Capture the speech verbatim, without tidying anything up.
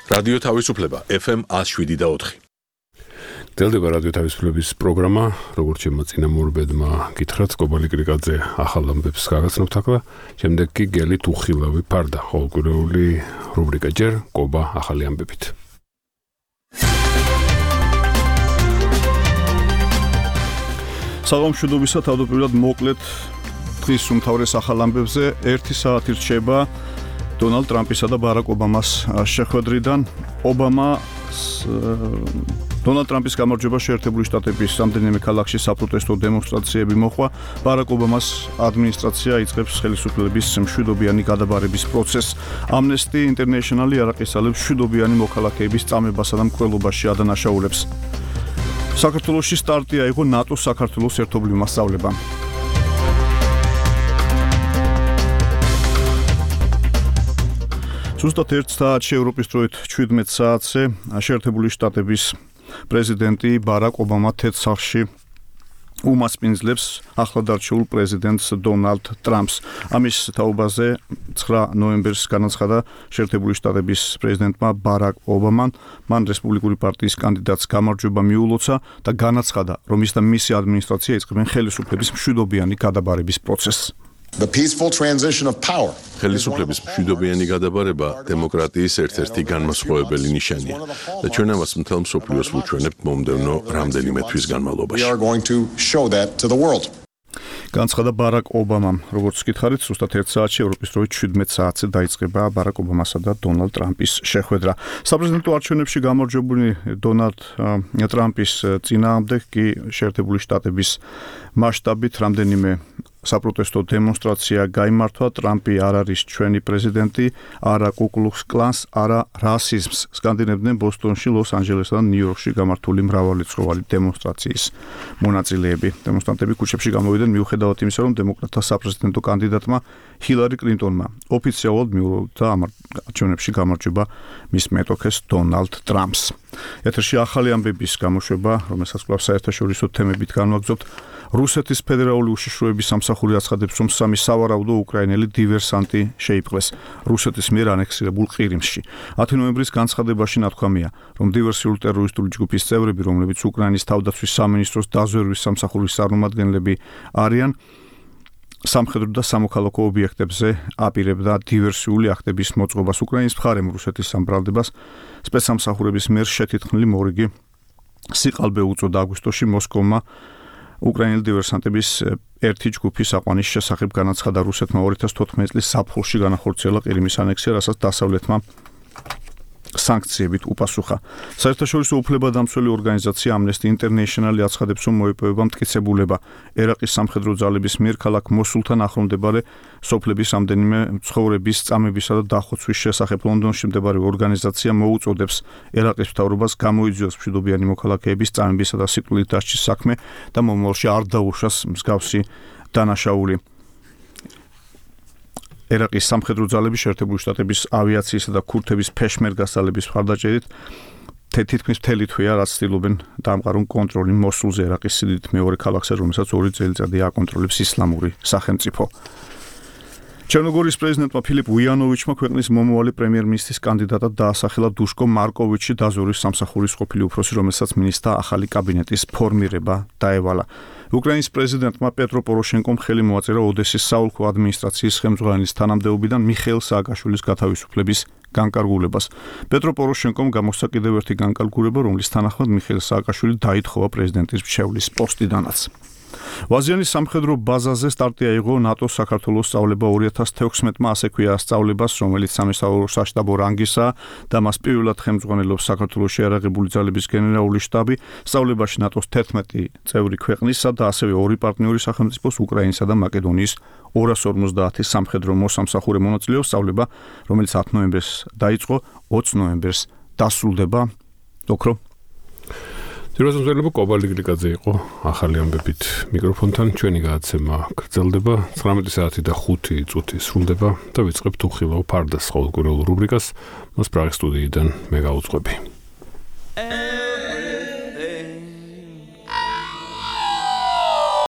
რადიო თავისუფლება ეფ ემ one oh seven და four. დელდება რადიო თავისუფლების პროგრამა, როგორც შემოწინამორბედმა გითხრათ, კობალი კრიკაძე ახალ ამბებს გაგაცნობთ ახლა, შემდეგ კი გელი თუხილავი ფარდა, ყოველკვირეული რუბრიკა ჯერ კობა ახალი ამბებით. საღამოშუდობისა თავდაპირველად მოკლედ დღის უმთავრეს ახალ ამბებზე ერთი საათი რჩება დონალდ ტრამპისა და ბარაკ ობამას შეხვედრიდან. ობამა დონალდ ტრამპის გამარჯვება შეერთებული შტატების რამდენიმე ქალაქში საპროტესტო დემონსტრაციები მოხდა. ბარაკ ობამას ადმინისტრაცია იწყებს ხელისუფლების მშვიდობიანი გადაბარების პროცესს. Amnesty International არაყისალებს მშვიდობიანი მოქალაქეების წამებასა და მკვლელობაში ადანაშაულებს. საქართველოში სტარტი აიღო ნატოს საქართველოს ერთობლივ მასწავლებამ. ზუსტად ერთ საათში ევროპის დროით შვიდმეტ საათზე შეერთებული შტატების პრეზიდენტი ბარაკ ობამა თეთრ სახლში უმასპინძლებს ახლადარჩეულ პრეზიდენტს დონალდ ტრამპს. ამის თაობაზე ცხრა ნოემბერს განაცხადა შეერთებული შტატების პრეზიდენტმა ბარაკ ობამამ მან რესპუბლიკური პარტიის კანდიდატს გამარჯვება მიულოცა და განაცხადა, რომ ის და მისი ადმინისტრაცია იწყებენ ხელისუფლების მშვიდობიანი გადაბარების პროცესს. The peaceful transition of power. ხელისუფლების მშვიდობიანი გადაბარება დემოკრატიის ერთ-ერთი განმასხვავებელი ნიშანია და ჩვენ ამას მთელ მსოფლიოს ვუჩვენებთ მომდევნო რამდენიმე თვის განმავლობაში. We are going to show that to the world. განცხადა ბარაკ ობამამ, როგორც გითხარით, ზუსტად ერთ საათში ევროპის დროით შვიდმეტ საათზე დაიწყება ბარაკ ობამასა და დონალდ ტრამპის შეხვედრა. საპრეზიდენტო არჩევნებში გამარჯვებული დონალდ ტრამპის წინააღმდეგ კი შეერთებული შტატების მასშტაბით რამდენიმე საპროტესტო დემონსტრაცია გაიმართვა. ტრამპი არ არის ჩვენი პრეზიდენტი, არა კუკლუქს კლანს, არა რასიზმს. სკანდინებდნენ ბოსტონში, ლოს-ანჯელესსა და ნიუ-იორკში გამართული მრავალრიცხოვანი დემონსტრაციის მონაწილეები. დემონსტრანტები ქუჩებში გამოვიდნენ მიუხედავად იმისა, რომ დემოკრატთა საპრეზიდენტო კანდიდატმა ჰილარი კლინტონმა ოფიციალურად მიულოცა ამ არჩევნებში გამარჯვება მის მეტოქეს დონალდ ტრამპს. ეთერში ახალი ამბების გამოშვება, რომელსაც კვლავ საერთაშორისო თემებით განვაგრძობთ. რუსეთის ფედერალური უშიშროების სამსახური აცხადებს, რომ სამი სავარაუდო უკრაინელი დივერსანტი შეიპყრეს რუსეთის მიერ ანექსირებულ ყირიმში. ათი ნოემბრის განცხადებაში ნათქვამია, რომ დივერსიული ტერორისტული ჯგუფის წევრები, რომლებიც უკრაინის თავდაცვის სამინისტროს დაზვერვის სამსახურის წარმომადგენლები არიან, სამხედრო და სამოქალაქო ობიექტებზე აპირებდა დივერსიული აქტების მოწყობას. უკრაინის მხარემ რუსეთის სამბრალდებას სპეცსამსახურების მიერ შეთითქმული მორიგი სიყალბე უწოდა აგვისტოში მოსკოვმა უკრაინელი დივერსანტების ერთი ჯგუფის აყვანის შესახებ განაცხადა. რუსეთმა ორი ათას თოთხმეტი წლის ზაფხულში განახორციელა ყირიმის ანექსია, რასაც დასავლეთმა სანქციებით უპასუხა. საერთაშორისო უფლებადამცველი ორგანიზაცია Amnesty International აცხადებს, რომ მოიპოვება მტკიცებულება ერაყის სამხედრო ძალების მიერ ქალაქ მოსულთან ახლომდებარე სოფლების რამდენიმე მცხოვრების წამებისა და დახოცვის შესახებ. ლონდონში მდებარე ორგანიზაცია მოუწოდებს ერაყის მთავრობას გამოიძიოს მშვიდობიანი მოქალაქეების წამებისა და სიკვდილით დასჯის საქმე და მომავალში არ დაუშვას მსგავსი დანაშაული. ერაყის სამხედრო ძალები შეერთებული შტატების ავიაციისა და ქურთების ფეშმერგას ძალების მხარდაჭერით თითქმის მთელი თვეა, რაც ცდილობენ დაამყარონ კონტროლი მოსულზე, ერაყის სიდიდით მეორე ქალაქზე, რომელსაც ორი წელიწადი აკონტროლებს ისლამური სახელმწიფო. ჩერნოგორიის პრეზიდენტმა ფილიპ უიანოვიჩმა ქვეყნის მომავალი პრემიერ-მინისტრის კანდიდატად დაასახელა დუშკო მარკოვიჩი, დაზვერვის სამსახურის ყოფილი უფროსი, რომელსაც მინისტრთა ახალი კაბინეტის ფორმირება დაევალა. უკრაინის პრეზიდენტმა პეტრო პოროშენკომ ხელი მოაწერა ოდესის საოლქო ადმინისტრაციის ხელმძღვანელის თანამდებობიდან მიხეილ სააკაშვილის გათავისუფლების განკარგულებას. პეტრო პოროშენკომ გამოსცა კიდევ ერთი განკარგულება, რომლის თანახმად მიხეილ სააკაშვილი დაითხოვა პრეზიდენტის მრჩევლის პოსტიდანაც. ვაზიანის სამხედრო ბაზაზე სტარტი აიღო ნატოს საქართველოს სწავლება ორი ათას თექვსმეტმა, ასე ქვია სწავლებას, რომელიც სამესწავლო საშტაბო რანგისა და მას პირველად ხელმძღვანელობს საქართველოში აერაღებული ძალების გენერალური შტაბი. სწავლებაში ნატოს თერთმეტი წევრი ქვეყნისა და ასევე ორი პარტნიორი სახელმწიფოს უკრაინისა და მაკედონიის ორას ორმოცდაათი სამხედრო მოსამსახურე მონაწილეობს. სწავლება, რომელიც ათი ნოემბერს დაიწყო, ოცი ნოემბერს დასრულდება. ოქრო ძიროსმზელება კობალი გლიკაძე იყო ახალი ამბებით მიკროფონთან. ჩვენი გადაცემა გრძელდება ცხრამეტი საათი და ხუთი წუთი სრულდება და ვიწყებთ უხილავ ფარდას ყოველკვირეულ რუბრიკას. მას პრაღის სტუდიიდან მე გავუძღვები.